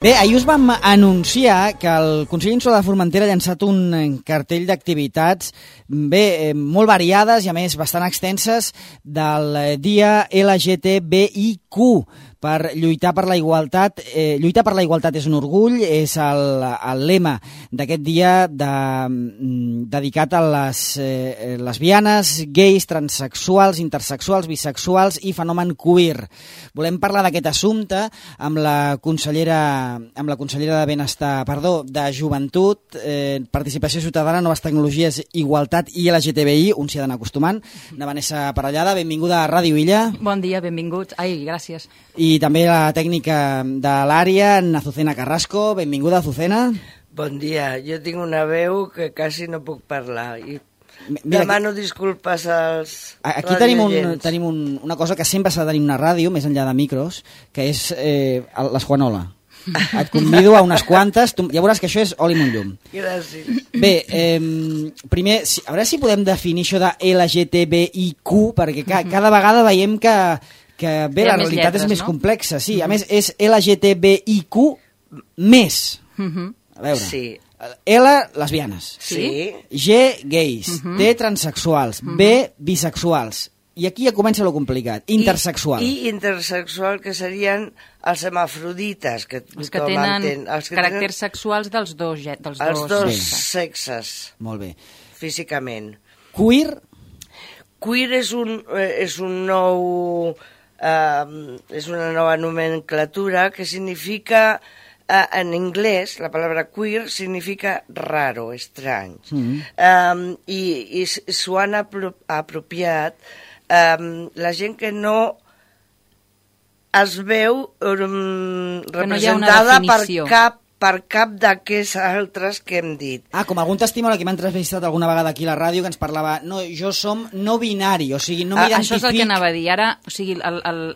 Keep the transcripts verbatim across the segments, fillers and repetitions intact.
Bé, ahir us vam anunciar que el Consell Insular de Formentera ha llançat un cartell d'activitats bé, molt variades i a més bastant extenses del dia L G T B I Q per lluitar per la igualtat. Eh, lluitar per la igualtat és un orgull, és el, el lema d'aquest dia de, dedicat a les eh, lesbianes, gais, transexuals, intersexuals, bisexuals i fenomen queer. Volem parlar d'aquest assumpte amb la consellera amb la consellera de Benestar, perdó, de Joventut, eh, Participació Ciutadana, Noves Tecnologies, Igualtat i L G T B I, on s'hi ha d'anar acostumant, de Vanessa Parellada. Benvinguda a Ràdio Illa. Bon dia, benvinguts. Ai, gràcies. I també la tècnica de l'àrea, Azucena Carrasco. Benvinguda, Azucena. Bon dia. Jo tinc una veu que quasi no puc parlar i Mira, demano aquí, disculpes als aquí tenim, un, tenim un, una cosa que sempre s'ha de tenir una ràdio, més enllà de micros, que és eh, l'Esquanola. Et convido a unes quantes, tu, ja veuràs que això és oli amb un llum. Gràcies. Bé, eh, primer, si, a veure si podem definir això de L G T B I Q, perquè ca, cada vegada veiem que, que bé, la realitat lletres, és més no? complexa. Sí, a més és L G T B I Q més. A veure, sí. L, lesbianes. Sí. G, gais. Uh -huh. T, transexuals. Uh -huh. B, bisexuals. I aquí ja comença lo complicat. Intersexual. I, i intersexual, que serien els hermafrodites. Que els que tenen entén, els que caràcters tenen sexuals dels dos, dels els dos, dos sexes. Molt bé. Físicament. Queer? Queer és un, és un nou... Uh, és una nova nomenclatura que significa... Uh, en anglès, la paraula queer significa raro, estrany. Mm -hmm. um, I i s'ho han apro apropiat um, la gent que no es veu um, representada no per cap per cap d'aquests altres que hem dit. Ah, com algun testimoni que m'ha entrevistat alguna vegada aquí a la ràdio que ens parlava, no, jo som no binari, o sigui, no m'identific... Ah, això és el que anava a dir. Ara, o sigui,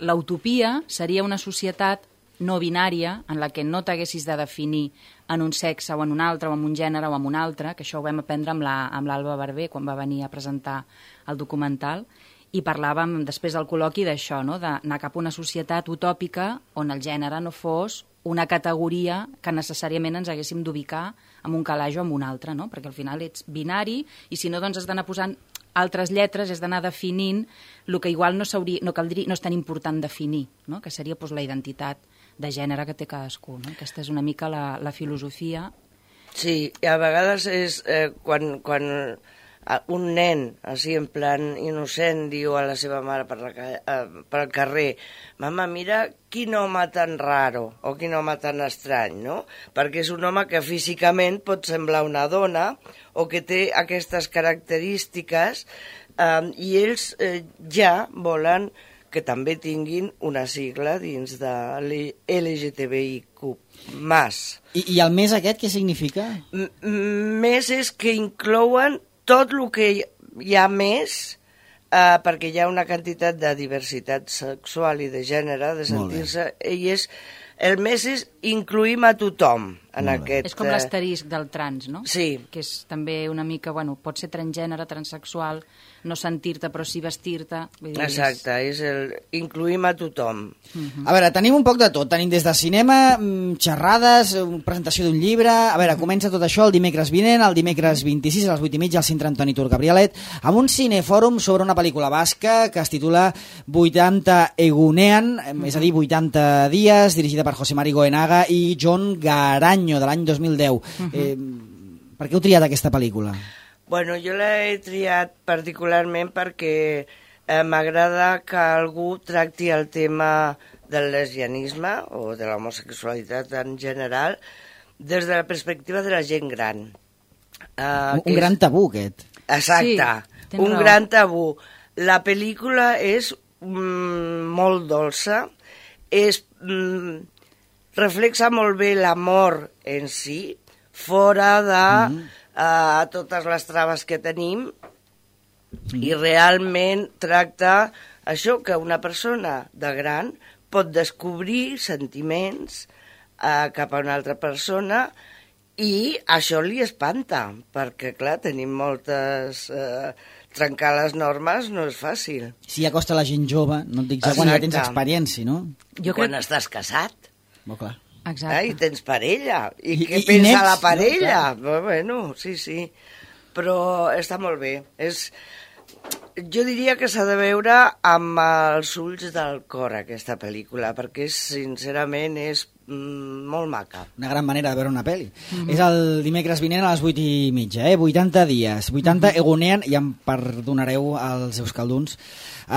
l'utopia seria una societat no binària, en la que no t'haguessis de definir en un sexe o en un altre, o en un gènere o en un altre, que això ho vam aprendre amb l'Alba la, Barber quan va venir a presentar el documental, i parlàvem després del col·loqui d'això, no? D'anar cap a una societat utòpica on el gènere no fos una categoria que necessàriament ens haguéssim d'ubicar en un calaix o en un altre, no? Perquè al final ets binari i si no, doncs has d'anar posant altres lletres, has d'anar definint el que igual no, no, caldria, no és tan important definir, no? Que seria doncs, la identitat de gènere que té cadascú. No? Aquesta és una mica la, la filosofia. Sí, i a vegades és eh, quan, quan un nen, així en plan innocent, diu a la seva mare per, la, eh, per el carrer, mama, mira quin home tan raro, o quin home tan estrany, no? Perquè és un home que físicament pot semblar una dona, o que té aquestes característiques, eh, i ells eh, ja volen que també tinguin una sigla dins de L G T B I Q més. I, I el més aquest què significa? M més és que inclouen tot el que hi ha més, eh, perquè hi ha una quantitat de diversitat sexual i de gènere, de sentir-se, i és, el més és incluïm a tothom en aquest... És com l'asterisc del trans, no? Sí. Que és també una mica, bueno, pot ser transgènere, transsexual, no sentir-te però sí vestir-te. Exacte, és el incluïm a tothom. Uh-huh. A veure, tenim un poc de tot, tenim des de cinema, xerrades, presentació d'un llibre, a veure, comença tot això el dimecres vinent, el dimecres vint-i-sis a les vuit i mitja al Centre Antoni Tur Gabrielet, amb un cinefòrum sobre una pel·lícula basca que es titula vuitanta Egunean, uh-huh. és a dir, vuitanta dies, dirigida per José Mari Goenaga i John Garanyo, de l'any dos mil deu. Uh-huh. eh, per què heu triat aquesta pel·lícula? Bueno, jo l'he triat particularment perquè eh, m'agrada que algú tracti el tema del lesbianisme o de l'homosexualitat en general des de la perspectiva de la gent gran. Uh, un un és... gran tabú, aquest. Exacte, sí, un raó. gran tabú. La pel·lícula és mm, molt dolça, és... Mm, reflexa molt bé l'amor en si, fora de mm. uh, totes les traves que tenim, mm. i realment tracta això, que una persona de gran pot descobrir sentiments uh, cap a una altra persona i això li espanta, perquè, clar, tenim moltes... Uh, trencar les normes no és fàcil. Si acosta la gent jove, no et dic ja quan ja tens experiència, no? Jo quan crec... estàs casat. Molt clar. Exacte. Eh? I tens parella. I, I què i pensa nets, la parella? no? Bueno, sí, sí. Però està molt bé. És... Jo diria que s'ha de veure amb els ulls del cor, aquesta pel·lícula, perquè sincerament és mm, molt maca. Una gran manera de veure una pel·li. Mm-hmm. És el dimecres vinent a les vuit i mitja, eh? vuitanta dies, vuitanta mm-hmm. Egunean, i em perdonareu els euskalduns.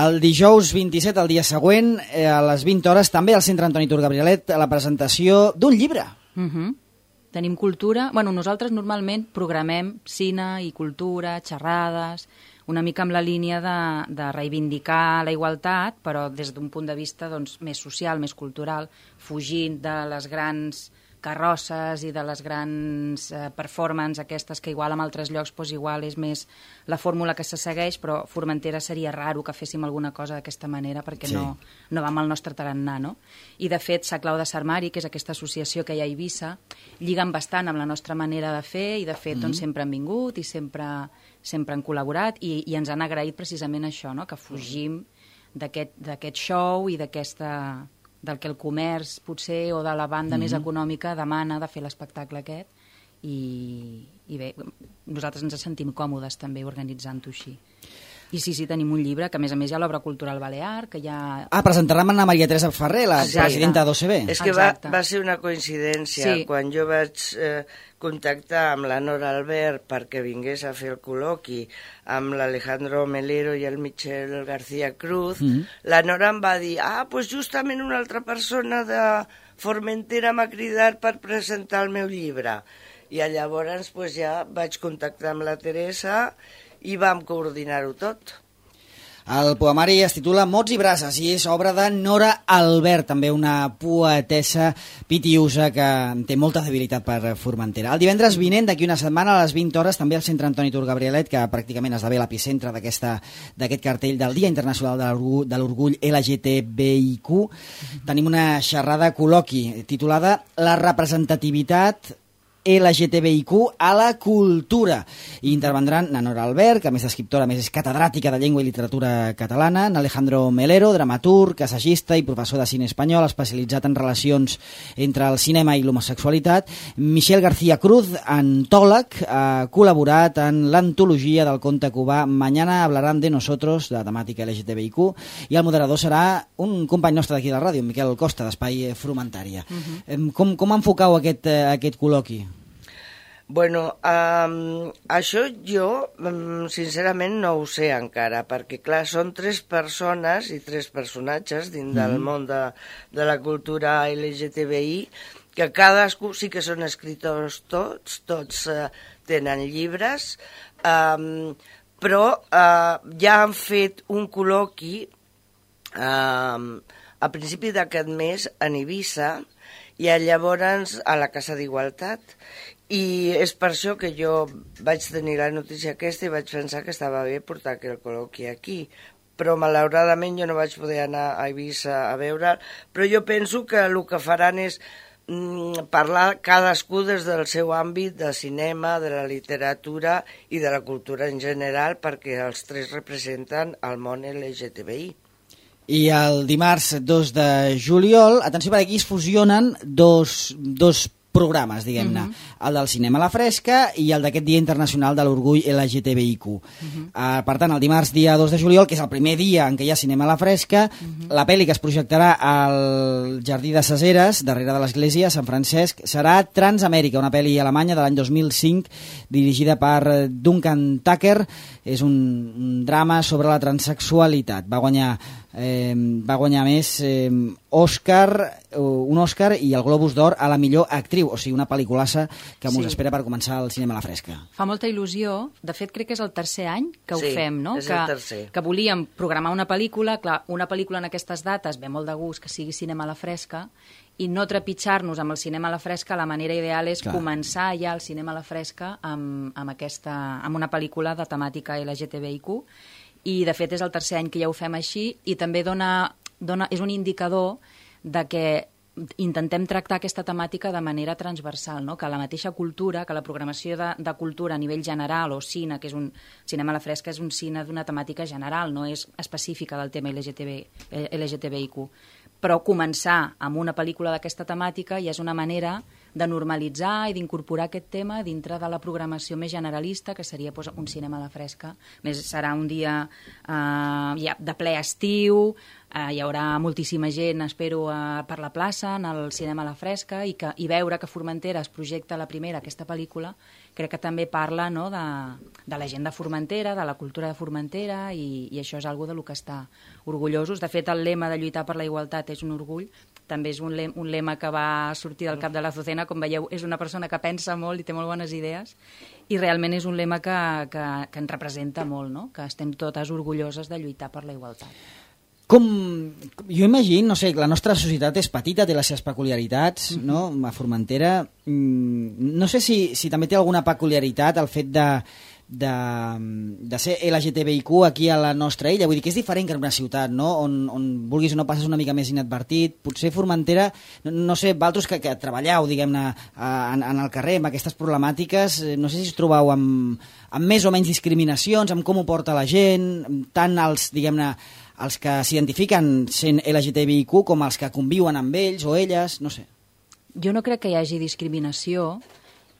El dijous vint-i-set, el dia següent, eh, a les vint hores, també al Centre Antoni Tur Gabrielet, a la presentació d'un llibre. Mhm. Tenim cultura... Bueno, nosaltres normalment programem cine i cultura, xerrades, una mica amb la línia de, de reivindicar la igualtat, però des d'un punt de vista doncs, més social, més cultural, fugint de les grans carrosses i de les grans eh, performances aquestes que igual en altres llocs doncs, igual és més la fórmula que se segueix, però Formentera seria raro que féssim alguna cosa d'aquesta manera perquè sí. no, no va amb el nostre tarannà, no? I de fet, Sa Clau de Sarmari, que és aquesta associació que hi ha a Eivissa, lliguen bastant amb la nostra manera de fer i de fet mm-hmm. doncs, sempre han vingut i sempre, sempre han col·laborat i, i ens han agraït precisament això, no? Que fugim d'aquest d'aquest show i d'aquesta... del que el comerç potser o de la banda mm-hmm. més econòmica demana de fer l'espectacle aquest i, i bé, nosaltres ens sentim còmodes també organitzant-ho així. I sí, sí, tenim un llibre, que a més a més hi ha l'Obra Cultural Balear, que ja... Ah, presentarà amb Anna Maria Teresa Ferrer, la Exacte. presidenta d'O C B. És que va, va ser una coincidència. Sí. Quan jo vaig eh, contactar amb la Nora Albert perquè vingués a fer el col·loqui amb l'Alejandro Melero i el Michel García Cruz, mm-hmm. la Nora em va dir, ah, doncs justament una altra persona de Formentera m'ha cridat per presentar el meu llibre. I llavors pues, ja vaig contactar amb la Teresa i vam coordinar-ho tot. El poemari es titula Mots i braces i és obra de Nora Albert, també una poetessa pitiusa que té molta debilitat per Formentera. El divendres vinent, d'aquí una setmana, a les vint hores, també al Centre Antoni Tur Gabrielet, que pràcticament esdevé l'epicentre d'aquest cartell del Dia Internacional de l'Orgull L G T B I Q, mm-hmm. tenim una xerrada col·loqui titulada La representativitat L G T B I Q a la cultura. I intervendran na Nora Albert, que a més d'escriptora, a més és catedràtica de llengua i literatura catalana, en Alejandro Melero, dramaturg, assagista i professor de cine espanyol, especialitzat en relacions entre el cinema i l'homosexualitat. Michel García Cruz, antòleg, ha col·laborat en l'antologia del conte cubà Mañana hablarán de nosotros, de temàtica L G T B I Q, i el moderador serà un company nostre d'aquí de la ràdio, Miquel Costa, d'Espai Frumentària. Uh-huh. Com, com enfocau aquest, aquest col·loqui? Bueno, um, això jo um, sincerament no ho sé encara, perquè clar, són tres persones i tres personatges dins mm. del món de, de la cultura L G T B I, que cadascú sí que són escriptors tots, tots uh, tenen llibres, um, però uh, ja han fet un col·loqui um, a principi d'aquest mes en Eivissa i llavors a la Casa d'Igualtat. I és per això que jo vaig tenir la notícia aquesta i vaig pensar que estava bé portar el col·loqui aquí. Però malauradament jo no vaig poder anar a Eivissa a veure'l, però jo penso que el que faran és mm, parlar cadascú des del seu àmbit de cinema, de la literatura i de la cultura en general, perquè els tres representen el món L G T B I. I el dimarts dos de juliol, atenció, per aquí es fusionen dos, dos programes, diguem-ne, uh-huh. el del cinema a la fresca i el d'aquest Dia Internacional de l'Orgull L G T B I Q. Uh-huh. Uh, per tant, el dimarts dia dos de juliol, que és el primer dia en què hi ha cinema a la fresca, uh-huh. la pel·li que es projectarà al Jardí de Seseres, darrere de l'església Sant Francesc, serà Transamèrica, una pel·li alemanya de l'any dos mil cinc, dirigida per Duncan Tucker. És un, un drama sobre la transexualitat. Va guanyar Eh, va guanyar més eh, Òscar, un Òscar i el Globus d'Or a la millor actriu, o sigui, una pel·liculassa que mos sí. espera per començar el cinema a la fresca. Fa molta il·lusió, de fet crec que és el tercer any que ho sí, fem, no? És que, el tercer. Que volíem programar una pel·lícula, clar, una pel·lícula en aquestes dates ve molt de gust que sigui cinema a la fresca i no trepitjar-nos amb el cinema a la fresca, la manera ideal és clar. Començar ja el cinema a la fresca amb, amb, aquesta, amb una pel·lícula de temàtica L G T B I Q. I de fet és el tercer any que ja ho fem així i també dona, dona, és un indicador de que intentem tractar aquesta temàtica de manera transversal, no? Que la mateixa cultura, que la programació de, de cultura a nivell general o cine, que és un cinema a la fresca, és un cine d'una temàtica general, no és específica del tema L G T B I Q, però començar amb una pel·lícula d'aquesta temàtica ja és una manera de normalitzar i d'incorporar aquest tema dintre de la programació més generalista, que seria doncs, un cinema a la fresca. Més serà un dia eh, ja, de ple estiu, eh, hi haurà moltíssima gent, espero, eh, per la plaça, en el cinema a la fresca, i, que, i veure que Formentera es projecta la primera, aquesta pel·lícula, crec que també parla, no, de, de la gent de Formentera, de la cultura de Formentera, i, i això és algo de lo que està orgullosos. De fet, el lema de lluitar per la igualtat és un orgull, també és un lema, un lema que va sortir del cap de l'Azucena. Com veieu, és una persona que pensa molt i té molt bones idees, i realment és un lema que, que, que ens representa molt, no? Que estem totes orgulloses de lluitar per la igualtat. Com, jo imagino, no sé, la nostra societat és petita, té les seves peculiaritats, mm-hmm. no? A Formentera, no sé si, si també té alguna peculiaritat el fet de, de, de ser L G T B I Q aquí a la nostra illa, vull dir que és diferent que en una ciutat, no? On, on vulguis o no passes una mica més inadvertit. Potser Formentera, no, no sé, vosaltres que, que treballeu, diguem-ne, en, en el carrer amb aquestes problemàtiques, no sé si us trobeu amb, amb més o menys discriminacions, amb com ho porta la gent, tant els, diguem-ne, els que s'identifiquen sent L G T B I Q com els que conviuen amb ells o elles, no sé. Jo no crec que hi hagi discriminació.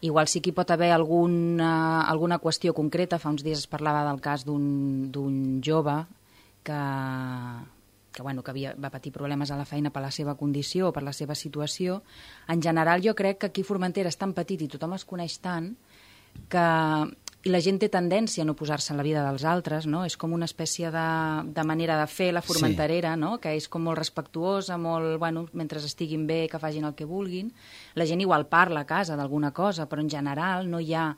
Igual sí que hi pot haver alguna, alguna qüestió concreta. Fa uns dies es parlava del cas d'un jove que, que, bueno, que havia, va patir problemes a la feina per la seva condició o per la seva situació. En general, jo crec que aquí Formentera és tan petit i tothom es coneix tant que i la gent té tendència a no posar-se en la vida dels altres, no? És com una espècie de, de manera de fer la formenterera, sí. No? Que és com molt respectuosa, molt, bueno, mentre estiguin bé, que facin el que vulguin. La gent igual parla a casa d'alguna cosa, però en general no hi ha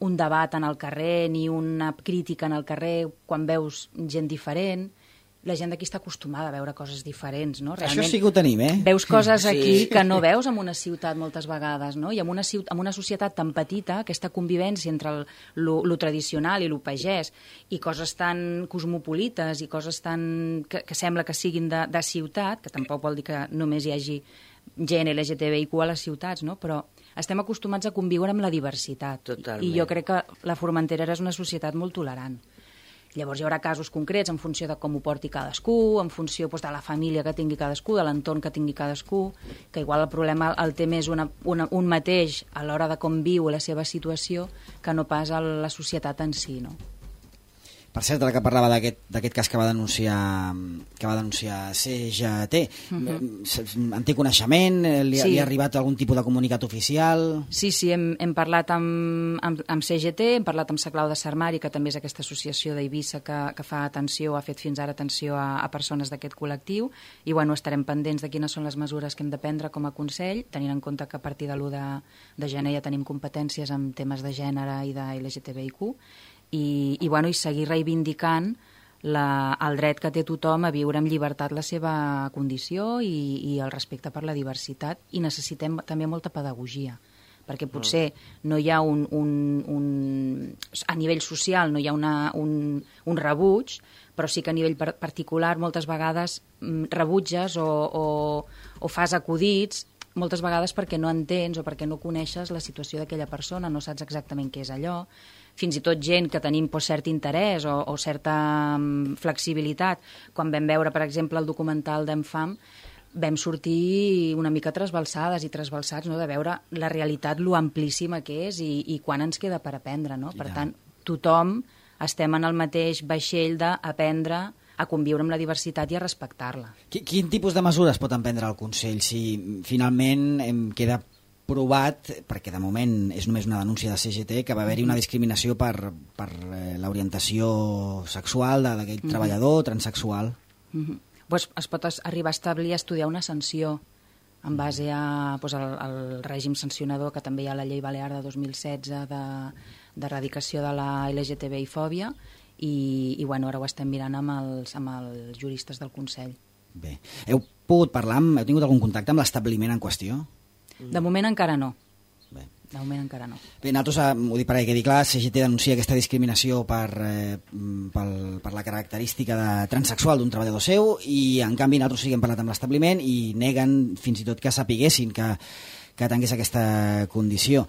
un debat en el carrer ni una crítica en el carrer quan veus gent diferent. La gent d'aquí està acostumada a veure coses diferents, no? Realment, això sí que ho tenim, eh? Veus coses aquí sí. que no veus en una ciutat moltes vegades, no? I en una, ciutat, en una societat tan petita, aquesta convivència entre el, lo, lo tradicional i lo pagès, i coses tan cosmopolites i coses tan que, que sembla que siguin de, de ciutat, que tampoc vol dir que només hi hagi gent L G T B I Q a les ciutats, no? Però estem acostumats a conviure amb la diversitat. Totalment. I jo crec que la Formentera és una societat molt tolerant. Llavors hi haurà casos concrets en funció de com ho porti cadascú, en funció doncs, de la família que tingui cadascú, de l'entorn que tingui cadascú, que igual el problema el té més una, una, un mateix a l'hora de com viu la seva situació que no pas a la societat en si, no? Per cert, ara que parlava d'aquest cas que va denunciar que va denunciar C G T, uh-huh. en té coneixement? Li, sí. li ha arribat algun tipus de comunicat oficial? Sí, sí, hem, hem parlat amb, amb, amb C G T, hem parlat amb Saclau de Sarmari, que també és aquesta associació d'Eivissa que, que fa atenció, ha fet fins ara atenció a, a persones d'aquest col·lectiu, i bueno, estarem pendents de quines són les mesures que hem de prendre com a Consell, tenint en compte que a partir de l'u de, de gener ja tenim competències en temes de gènere i de L G T B I Q, i, i, bueno, i seguir reivindicant la, el dret que té tothom a viure amb llibertat la seva condició i, i el respecte per la diversitat, i necessitem també molta pedagogia, perquè potser no hi ha un, un, un a nivell social no hi ha una, un, un rebuig, però sí que a nivell particular moltes vegades rebutges o, o, o fas acudits, moltes vegades perquè no entens o perquè no coneixes la situació d'aquella persona, no saps exactament què és allò. Fins i tot gent que tenim pues, cert interès o, o certa um, flexibilitat. Quan vam veure, per exemple, el documental d'Enfam, vam sortir una mica trasbalsades i trasbalsats, no?, de veure la realitat, lo amplíssima que és i, i quan ens queda per aprendre, no? Per tant, tothom estem en el mateix vaixell d'aprendre a conviure amb la diversitat i a respectar-la. Quin tipus de mesures pot emprendre el Consell si finalment em queda provat, perquè de moment és només una denúncia de C G T, que va haver-hi una discriminació per, per l'orientació sexual d'aquell mm-hmm. treballador transexual? Mm-hmm. Pues es pot arribar a establir, a estudiar una sanció en base a, pues, al, al règim sancionador que també hi ha a la llei balear de dos mil setze d'erradicació de, de la L G T B I fòbia, i, i bueno, ara ho estem mirant amb els, amb els juristes del Consell. Bé. Heu pogut parlar, amb, heu tingut algun contacte amb l'establiment en qüestió? De moment encara no. Bé. De moment encara no. Bé, nosaltres, ho dic perquè quedi clar, C G T denuncia aquesta discriminació per, eh, per, per la característica de transexual d'un treballador seu, i en canvi nosaltres sí que hem parlat amb l'establiment i neguen fins i tot que sapiguessin que que tingués aquesta condició.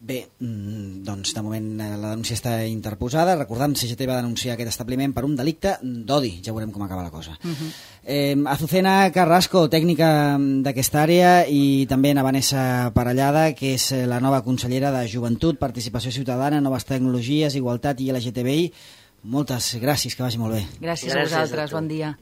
Bé, doncs de moment la denúncia està interposada. Recordem, C G T va denunciar aquest establiment per un delicte d'odi. Ja veurem com acaba la cosa. Uh-huh. eh, Azucena Carrasco, tècnica d'aquesta àrea, i també a Vanessa Parellada, que és la nova consellera de Joventut, Participació Ciutadana, Noves Tecnologies, Igualtat i L G T B I. Moltes gràcies, que vagi molt bé. Gràcies, gràcies a vosaltres, bon dia.